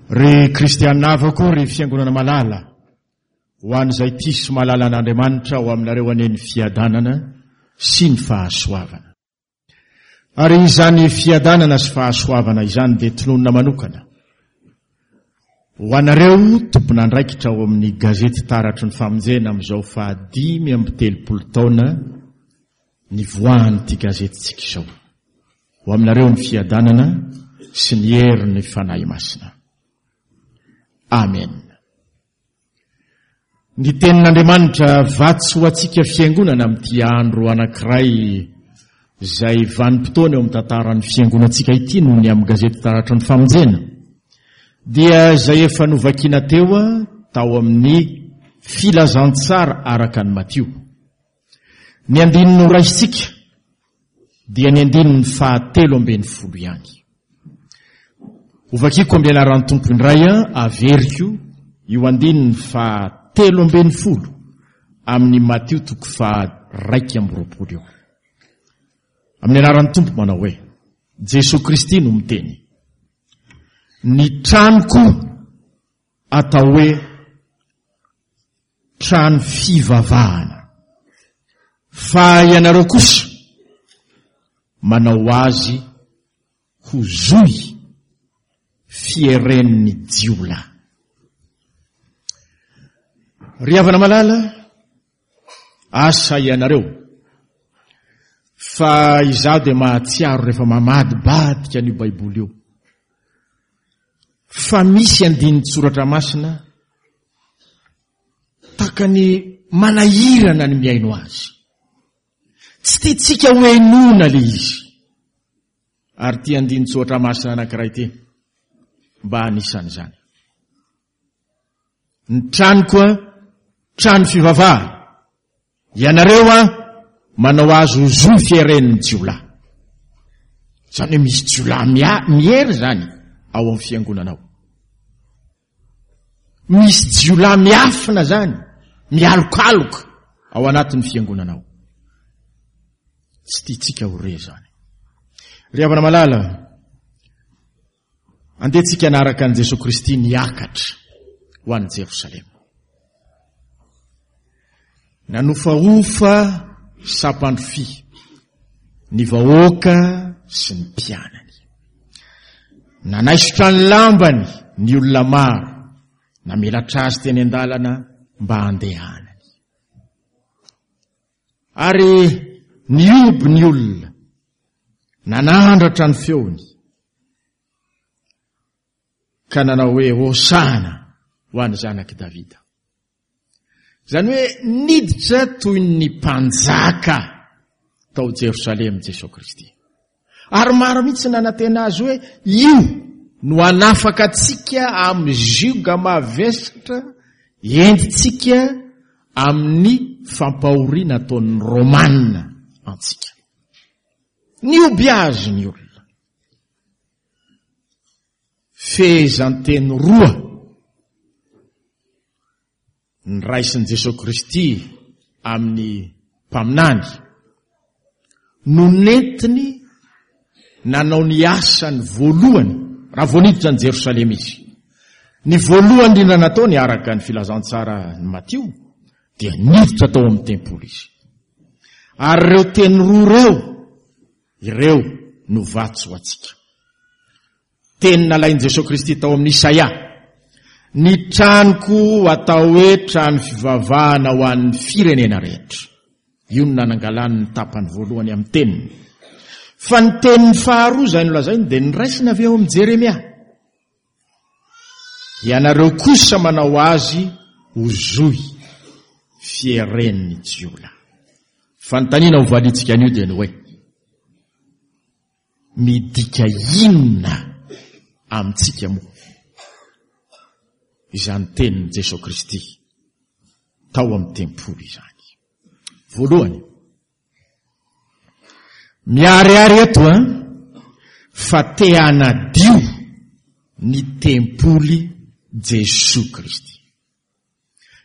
Ry kristiana havako, ry fiangonana malala, ho an'izay tia sy mahalala an'Andriamanitra, ho aminareo anie ny fiadanana sy ny fahasoavana. Ary izany fiadanana sy fahasoavana izany dia tononina manokana ho anareo tompon'andraikitra ao amin'ny gazety Taratry ny Famonjena amin'izao faha 35 taona nivoahan'ity gazetintsika izao. Ho aminareo ny fiadanana sy ny herin'ny Fanahy Masina. Amen. Ny tenin'Andriamanitra vatsy ho antsika fiangonana amin'ity andro anankiray izay vanim-potoana eo amin'ny tantaran'ny fiangonantsika ity noho ny amin'ny gazety Taratry ny Famonjena dia izay efa novakiana teo tao amin'ny Filazantsara araka an'i Matio. Ny andininy noraisintsika dia ny andininy faha-13 ihany. Hovakiko amin'ny anaran'ny Tompo indray averiko io andininy faha-13 amin'ny Matio toko faha-21 io. Amin'ny anaran'ny Tompo manao hoe, Jesoa Kristy no miteny, Ny tranoko atao hoe trano fivavahana, fa ianareo kosa manao azy ho zohy fieren'ny jiolahy. Ry havana malala, asa ianareo, fa izaho dia mahatsiaro rehefa mamadibadika an'io Baiboly io, fa misy andinin-tsoratra masina takany manahirana ny mihaino azy. Tsy tiantsika ho henoina le izy. Ary ity andinin-tsoratra masina anankiray ity mba anisan'izany. Ny tranoko trano fivavahana. Ianareo an manao azy ho zo fieren'ny jiolahy. Izany hoe misy jiolahy miery izany ao amin'ny fiangonana ao. Misy jiolahy miafina izany, mialokaloka ao anatin'ny fiangonana ao. Tsy tiantsika ho re izany. Ry havana malala, andeha tsika hanaraka an'i Jesoa Kristy niakatra ho any Jerosalema. Nanofahofa sampandrofia ny vahoaka sy ny mpianany. Nanaisotra ny lambany ny olona maro, namelatra azy teny an-dalana mba handehanany. Ary nihoby ny olona, nanandratra ny feony, ka nanao hoe, Hosana ho an'ny zanak'i Davida. Izany hoe niditra toy ny mpanjaka tao Jerosalema Jesoa Kristy. Ary maro mihitsy nanantena azy hoe io no hanafaka antsika amin'ny zioga mavesatra entintsika amin'ny fampahoriana ataon'ny Romana antsika. Nihoby azy ny olona. Fehezanteny roa niraisin'i Jesoa Kristy amin'ny mpaminany no nentiny nanao ny asany voalohany raha vao niditra an'i Jerosalema izy. Ny voalohany indrindra nataony araka ny filazantsara ny Matio dia niditra tao amin'ny tempoly izy. Ary ireo teny roa ireo Ireo no vatsy ho antsika. Teny nalain'i Jesoa Kristy tao amin'ny Isaia, Ny tranoko atao hoe trano fivavahana ho an'ny firenena rehetra. Io no nanangalany ny tapany voalohany amin'ny teniny. Fa ny teniny faharoa izay nolazainy dia noraisina avy ao amin'i Jeremia. Ianareo kosa manao azy ho zohy fieren'ny jiolahy. Fanontaniana ho valiantsika anio dia ny hoe, midika inona amintsika moa izany tenin'i Jesoa Kristy tao amin'ny tempoly izany? Voalohany, Miharihary eto an, fa te hanadio ny tempoly Jesoa Kristy.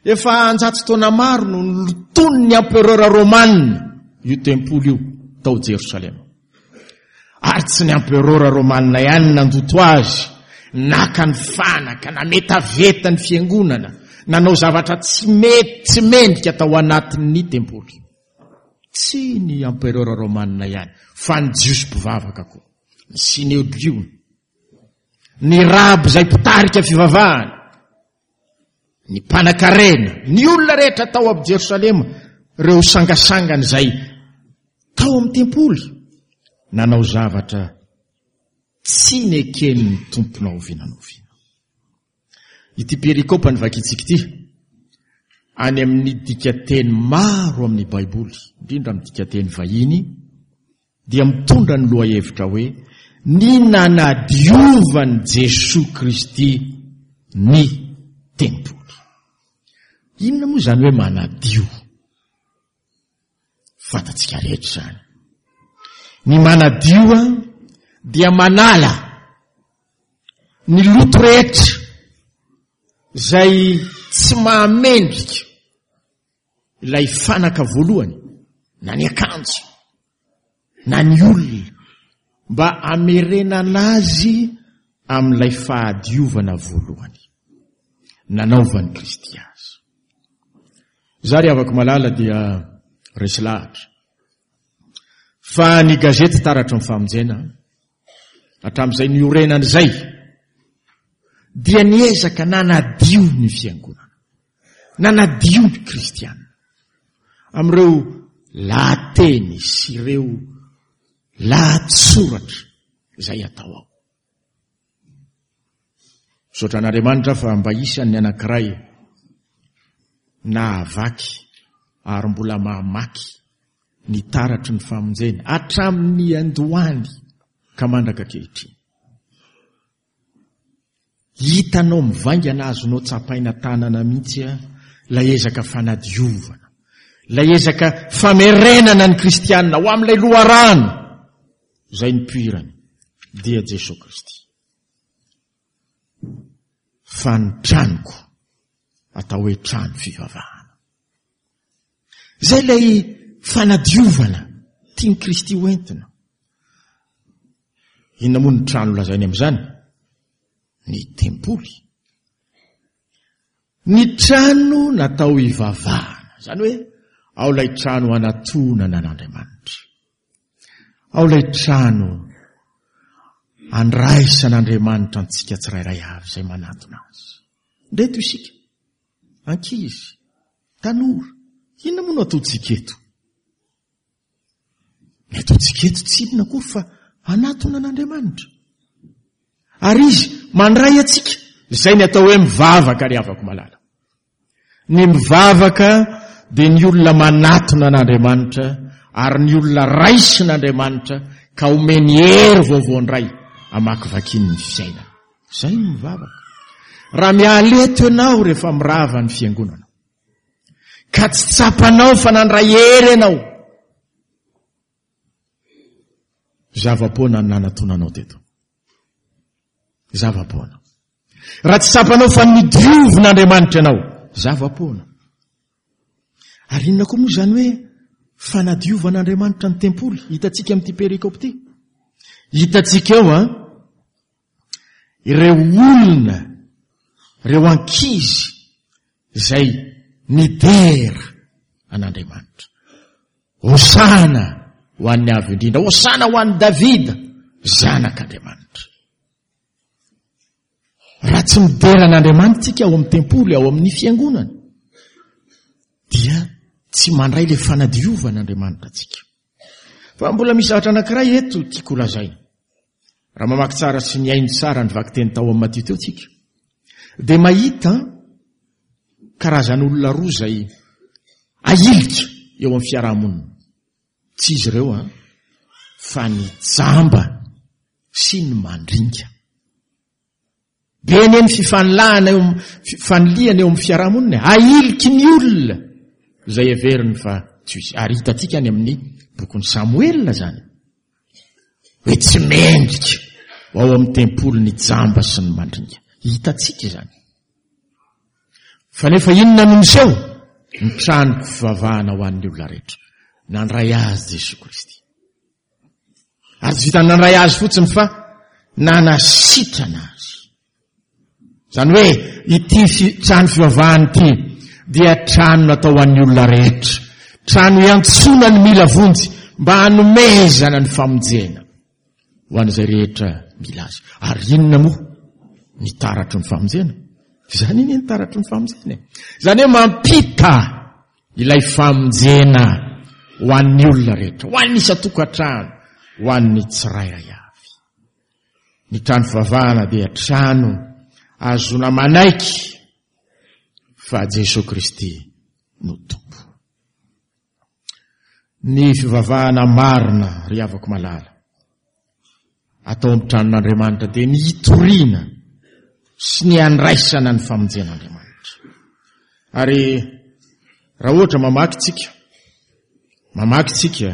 Efa anjato taona maro no nolotonin'ny empereur romana io tempoly io tao Jerosalema. Ary tsy ny empereur romana ihany nandoto azy. naka ny fanaka, nametaveta ny fiangonana, nanao zavatra tsy mety, tsy mendrika tao anatin'ny tempoly. Tsy ny empereur romana ihany, fa ny Jiosy mpivavaka koa, ny Synedriona, ny raby izay mpitarika fivavahana, ny mpanakarena, ny olona rehetra tao amin'ny Jerosalema, ireo sangasangany izay tao amin'ny tempoly, nanao zavatra tsy neken'ny Tompo na oviana na oviana. Ity perikopa novakintsika ity, any amin'ny dikateny maro amin'ny Baiboly, indrindra amin'ny dikateny vahiny, dia mitondra ny lohahevitra hoe ny nanadiovan'i Jesoa Kristy ny tempoly. Inona moa izany hoe manadio? Fantatsika rehetra izany. Ny manadio dia manala ny loto rehetra izay tsy mahamendrika ilay fanaka voalohany na ny akanjo na ny olona mba hamerenana azy amin'ilay fahadiovana voalohany nanaovan'i Kristy azy. Za ry havako malala dia resy lahatra fa ny gazety Taratry ny Famonjena hatramin'izay niorenany izay dia niezaka nanadio ny fiangonana. Nanadio ny kristiana amin'ireo lahateny sy ireo lahatsoratra izay atao ao. Misaotra an'Andriamanitra fa mba isan'ny anankiray nahavaky ary mbola mahamaky ny taratry ny famonjena hatramin'ny andohany ka mandraka ankehitriny. Hitanao mivaingana azonao tsapaina tanana mihitsy ilay ezaka fanadiovana, ilay ezaka famerenana ny kristianina ho amin'ilay loharano izay nipoirany dia Jesoa Kristy. Fa ny tranoko atao hoe trano fivavahana. Izay ilay fanadiovana tian'i Kristy ho entina. Inona moa ny trano lazainy amin'izany? Ny tempoly. Ny trano natao hivavahana. Izany hoe ao ilay trano hanatonana an'Andriamanitra. Ao ilay trano andraisan'Andriamanitra antsika tsirairay avy izay manatona azy. Ndreto isika. Ankizy, tanora, inona moa no ataontsika eto? Ny ataontsika eto tsy inona akory fa hanatona an'Andriamanitra. Ary Izy mandray antsika. Izay ny atao hoe mivavaka ry havako malala. Ny mivavaka dia ny olona manatona an'Andriamanitra ary ny olona raisin'Andriamanitra ka omeny hery vaovao indray hamakivakiany ny fiainana. Izay no mivavaka. Raha miala eto ianao rehefa mirava ny fiangonana, ka tsy tsapanao fa nandray hery ianao, zava-poana ny nanatonanao teto. Zava-poana. Raha tsy tsapanao fa nodiovin'Andriamanitra ianao, zava-poana. Ary inona koa moa izany hoe fanadiovan'Andriamanitra ny tempoly hitantsika amin'ity perikope ity? Hitantsika eo an, ireo olona, ireo ankizy izay nidera an'Andriamanitra. Hosana ho an'ny Avo Indrindra, hosana ho an'i Davida, zanak'Andriamanitra. Raha tsy midera an'Andriamanitra isika ao amin'ny tempoly, ao amin'ny fiangonana, dia tsy mandray ilay fanadiovan'Andriamanitra antsika. Fa mbola misy zavatra anankiray eto tiako holazaina. Raha mamaky tsara sy mihaino tsara ny vakiteny tao amin'ny Matio teo tsika, dia mahita karazan'olona roa izay ahilika eo amin'ny fiarahamonina. Tsy izy ireo an, fa ny jamba sy ny mandringa. Be anie ny fifanilahana eo fifanilihana eo amin'ny fiarahamonina e. Ahiliky ny olona izay heveriny fa tsy izy. Ary hitantsika any amin'ny bokin'i Samoela izany. Hoe tsy mendrika ho ao amin'ny tempoly ny jamba sy ny mandringa. Hitantsika izany. Fa nefa inona no miseho? Ny tranoko fivavahana ho an'ny olona rehetra. Nandray azy Jesoa Kristy. Ary tsy vitan'ny nandray azy fotsiny fa nanasitrana azy. Izany hoe ity trano fivavahana ity dia trano natao ho an'ny olona rehetra. Trano iantsoana ny mila vonjy mba hanomezana ny famonjena ho an'izay rehetra mila azy. Ary inona moa ny taratry ny famonjena? Izany anie ny taratry ny famonjena e. Izany hoe mampita ilay famonjena ho an'ny olona rehetra, ho an'ny isan-tokantrano, ho an'ny tsirairay avy. Ny trano fivavahana dia trano ahazoana manaiky fa Jesoa Kristy no Tompo. Ny fivavahana marina, ry havako malala, atao amin'ny tranon'Andriamanitra dia ny hitoriana sy ny handraisana ny famonjen'Andriamanitra. Ary raha ohatra mamaky tsika, mamaky tsika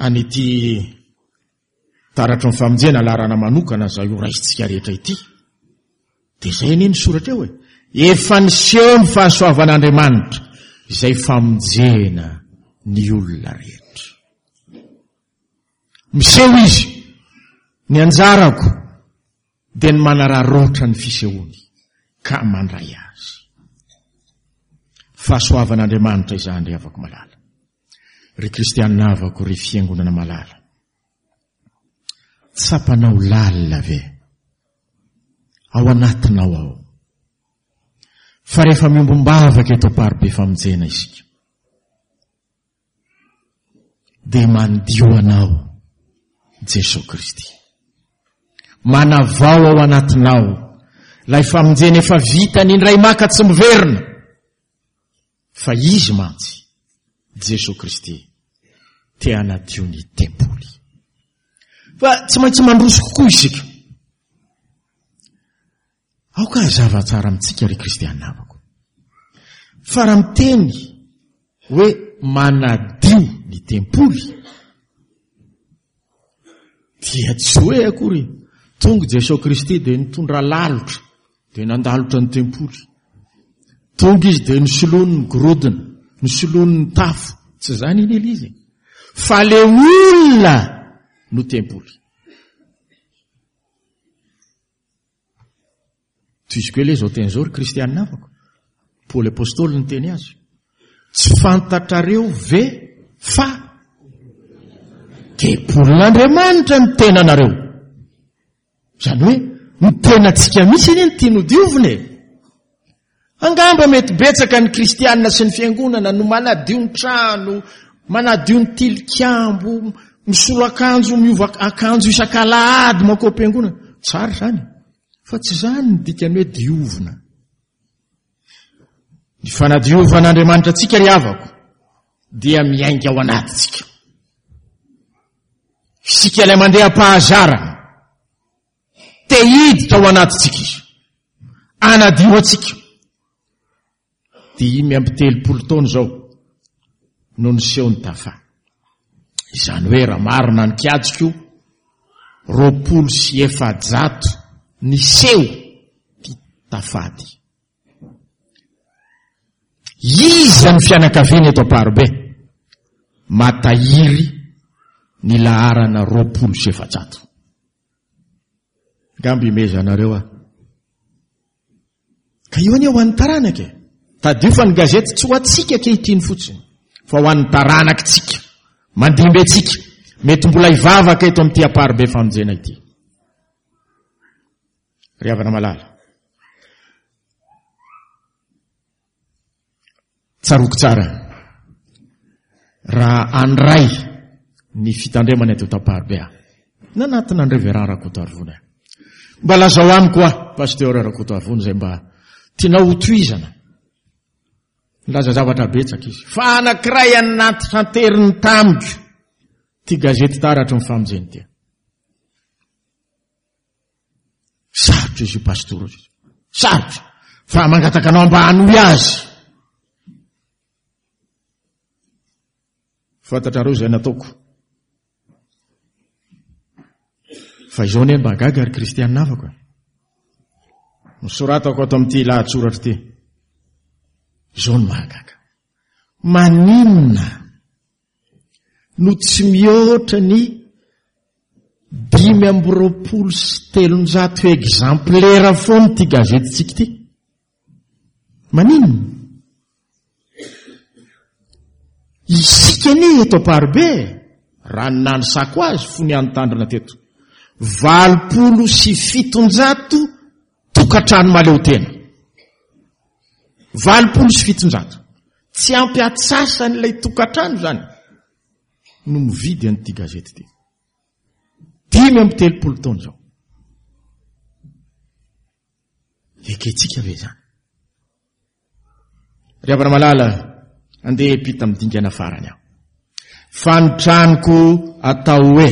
an'ity taratry ny famonjena laharana manokana izay ho raisintsika rehetra ity, dia izay anie ny soratra eo e. Efa niseho ny fahasoavan'Andriamanitra izay famonjena ny olona rehetra. Miseho izy, ny anjarako dia ny manararaotra ny fisehoany ka mandray azy. Fahasoavan'Andriamanitra izany ry havako malala. Ry kristianina havako, ry fiangonana malala. Tsapanao lalina ve ao anatinao ao fa rehefa miombom-bavaka eto Amparibe Famonjena isika dia mandio anao Jesoa Kristy. Manavao ao anatinao ilay famonjena efa vitany indray maka tsy miverina. Fa Izy mantsy, Jesoa Kristy, te hanadio ny tempoly. Fa tsy maintsy mandroso kokoa isika. Aoka hazava tsara amintsika ry kristiana havako. Fa raha miteny hoe manadio ny tempoly, dia tsy hoe akory tonga Jesoa Kristy dia nitondra lalotra dia nandalotra ny tempoly. Tonga izy dia nisoloany ny gorodona, nisoloany ny tafo. Tsy izany iny ilay izy. Fa le olona no tempoly. Tohiziko ela izao teny izao ry kristianina havako. Paoly apostoly niteny azy. Tsy fantatrareo ve fa tempolin'Andriamanitra ny tenanareo? Izany hoe ny tenantsika mihitsy anie no tiany hodiovina e. Angamba mety betsaka ny kristianina sy ny fiangonana no manadio ny trano, manadio ny tilikambo, misolo akanjo, miova akanjo isak'alahady mankao am-piangonana. Tsara izany, fa tsy izany ny dikany hoe diovina. Ny fanadiovan'Andriamanitra antsika ry havako dia miainga ao anatintsika. Isika ilay mandeha am-pahazarana. Te hiditra ao anatintsika izy. Anadio antsika. 35 taona izao no niseho ny tafa. Izany hoe raha marina ny kajiko, 420 niseho ty tafa ty. Iza ny fianakaviana eto Amparibe matahiry ny laharana 420? Angamba imezanareo aho. Ka io anie ho an'ny taranaka e. Tadidio fa ny gazety tsy ho antsika ankehitriny fotsiny, fa ho an'ny taranakitsika, mandimby antsika, mety mbola hivavaka eto amin'ity Amparibe famonjena ity. Ry havana malala. Tsaroako tsara raha handray ny fitandremana eto Tamparibe aho. Nanatona an'i Révérend Rakotoarivony aho. Mba lazao amiko aho, Pasteur Rakotoarivony, izay mba tianao hotohizana. Nilaza zavatra betsaka izy. Fa anankiray anatitranteriny tamiko ity gazety Taratry ny Famonjena ity. Sarotra izy io pastora io. Sarotra. Fa mangataka anao mba hanohy azy. Fantatrareo izay nataoko. Fa izao anie mba gaga ry kristianina havako e. Nosoratako ato amin'ity lahatsoratra ity. Izao no mahagaga. Maninona no tsy mihoatra ny 325 exemplaires foana ity gazetintsika ity. Maninona? Isika anie eto Amparibe e, raha ny nanisako azy fony aho nitandrina teto, 780 tokantrano mahaleo tena. 780. Tsy ampy atsasan'ilay tokantrano izany no mividy an'ity gazety ity. 35 taona izao. Ekentsika ve izany? Ry havana malala, andeha hiampita amin'ny dingana farany aho. Fa ny tranoko atao hoe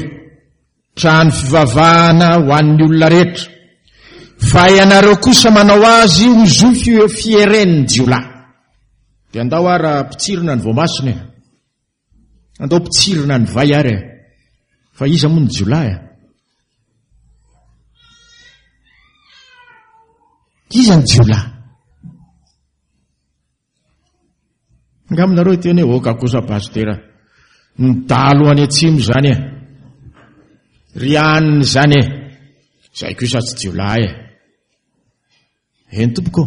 trano fivavahana ho an'ny olona rehetra, fa ianareo kosa manao azy ho zo fieren'ny jiolahy. Dia andao ara mpitsirina ny voamasina e. Andao mpitsirina ny vay ary e. Fa iza moa ny jiolahy e? Iza ny jiolahy? Angamba nareo hiteny hoe oka kosa pasitera. Ny dalo any atsimo izany e. Ry aniny izany e. Izay kosa tsy jiolahy e. Eny tompoko.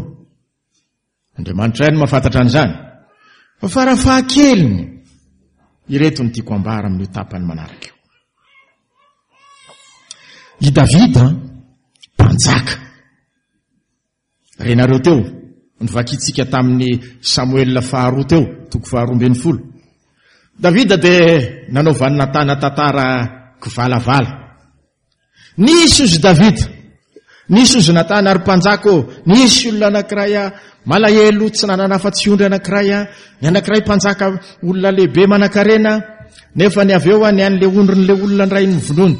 Andriamanitra ihany mahafantatra an'izany. Fa farafahakeliny, ireto no tiako ambara amin'io tapany manaraka io. I Davida, mpanjaka. Renareo teo, novakintsika tamin'ny Samoela faharoa teo, toko faharoa ambin'ny folo. Davida dia nanao vaninatana tantara kivalavala. Nisy ozy Davida, nisy ozy Natana ary mpanjaka ô, nisy olona anankiray a, malahelo tsy nanana afa-tsy ondry anankiray a, ny anankiray mpanjaka olona lehibe manankarena, nefa ny avy eo a, ny an'le ondrin'le olona indray novonoiny.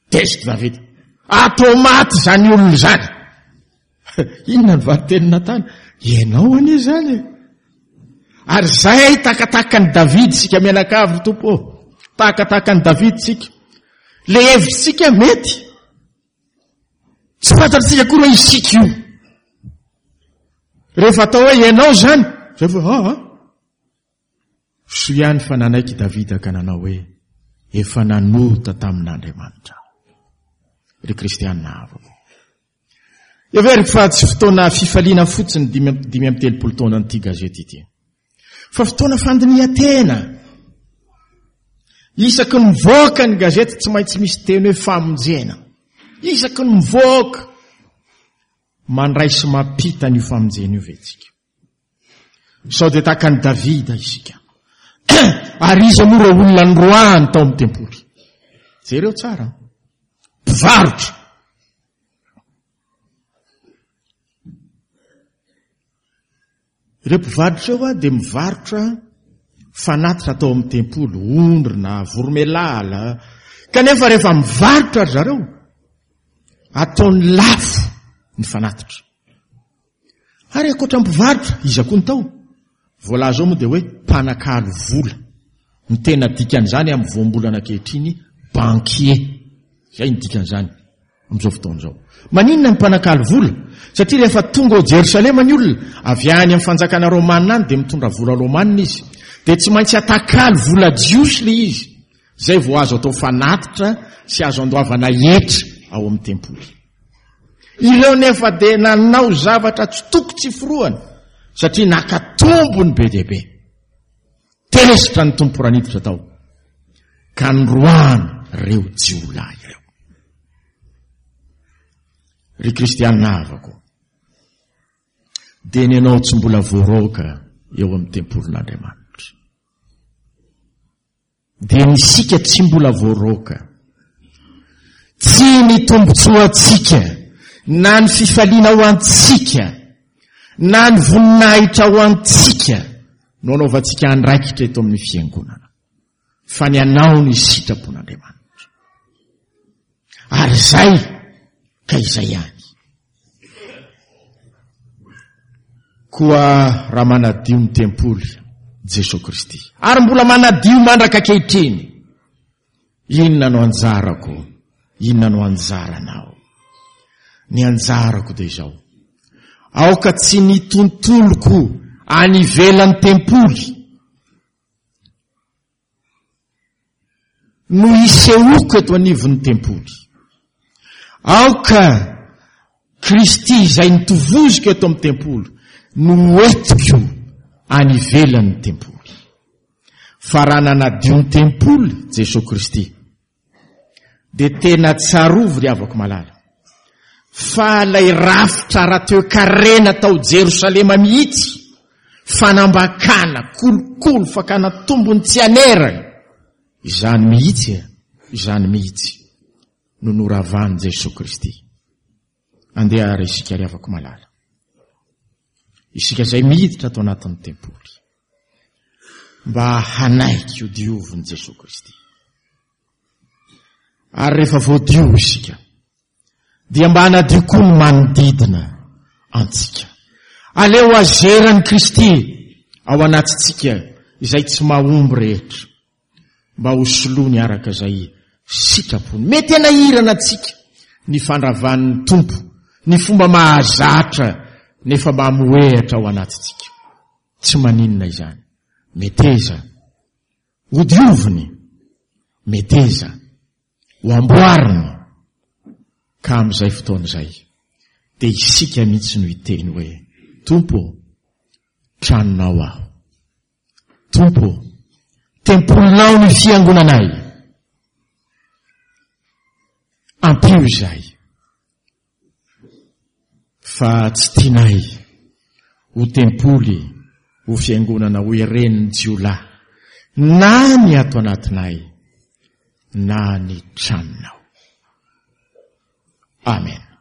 Tezitra Davida. Atao maty izany olona izany. Inona ny valin-tenin'i Natana? Ianao anie izany e. Ary izay takatakan'i Davida isika mianakavy ry Tompo ô. Takatakan'i Davida isika. Le hevitr'isika mety. Tsy fantatr'isika akory hoe isika io. Rehefa atao hoe ianao izany, zay vao ah, ah. Soa ihany fa nanaiky i Davida ka nanao hoe, Efa nanota tamin'Andriamanitra aho. Ry kristiana havako. Heveriko fa tsy fotoana fifaliana fotsiny 35 taonan'ity gazety ity. Fa fotoana fandinihan-tena. Isaky ny mivoaka ny gazety tsy maintsy misy teny hoe famonjena. Isaky ny mivoaka mandray sy mampita an'io famonjena io ve tsika? Sao dia tahaka an'i Davida isika. Ary iza moa ireo olona noroahany tao amin'ny tempoly? Jereo tsara. Mpivarotra. Ireo mpivarotra ireo dia mivarotra fanatitra atao amin'ny tempoly, ondry na voromelala. Kanefa rehefa mivarotra ry zareo, ataony lafo ny fanatitra. Ary ankoatra ny mpivarotra, iza koa ny tao? Voalaza ao moa dia hoe mpanakalo vola. Ny tena dikan'izany amin'ny voambolana ankehitriny, banquier. Izay ny dikan'izany amin'izao fotoana izao. Maninona ny mpanakalo vola? Satria rehefa tonga ao Jerosalema ny olona, avy any amin'ny fanjakana romana any dia mitondra vola romana izy. Dia tsy maintsy atakalo vola jiosy ilay izy. Izay vao azo atao fanatitra sy azo andoavana hetra ao amin'ny tempoly. Ireo nefa dia nanao zavatra tsy toko tsy forohana satria naka tombony be dia be. Tezitra ny Tompo raha niditra tao ka noroahany ireo jiolahy ireo. Ry kristiana havako, dia ny anao tsy mbola voaroaka eo amin'ny tempolin'Andriamanitra. Dia ny isika tsy mbola voaroaka. Tsy ny tombontsoantsika, na ny fifaliana ho antsika, na ny voninahitra ho antsika no anaovantsika andraikitra eto amin'ny fiangonana, fa ny anao ny sitrapon'Andriamanitra. Ary izay ka izay ihany. Koa raha manadio ny tempoly Jesoa Kristy, ary mbola manadio mandraka ankehitriny, inona no anjarako? Inona no anjaranao? Ny anjarako dia izao, aoka tsy ny tontoloko any ivelan'ny tempoly. no hisehoako eto anivon'ny tempoly. Aoka Kristy izay nitovoziko eto amin'ny tempoly no hoentiko any ivelan'ny tempoly. Fa raha nanadio ny tempoly Jesoa Kristy, dia tena tsarovy ry havako malala, fa ilay rafitra ara-toekarena tao Jerosalema mihitsy, fanambakana, kolikoly, fakana tombony tsy anerana, izany mihitsy e, izany mihitsy no noravan'i Jesoa Kristy. Andeha ary isika ry havako malala. Isika izay miditra ato anatin'ny tempoly mba hanaiky ho diovin'i Jesoa Kristy. Ary rehefa voadio isika dia mba hanadio koa ny manodidina antsika. Aleo azeran'i Kristy ao anatintsika izay tsy mahomby rehetra. mba ho soloany araka izay sitrapony. Mety hanahirana antsika ny fandravan'ny Tompo ny fomba mahazatra nefa mamohehatra ao anatintsika. Tsy maninona izany. Meteza hodioviny, meteza ho amboariny, ka amin'izay fotoana izay dia isika mihitsy no hiteny hoe, Tompo ô, tranonao aho. Tompo ô, tempolinao ny fiangonanay. Ampio izahay fa tsy tianay ho tempoly, ho fiangonana ho iren'ny jiolahy na ny ato anatinay na ny tranonao. Amen.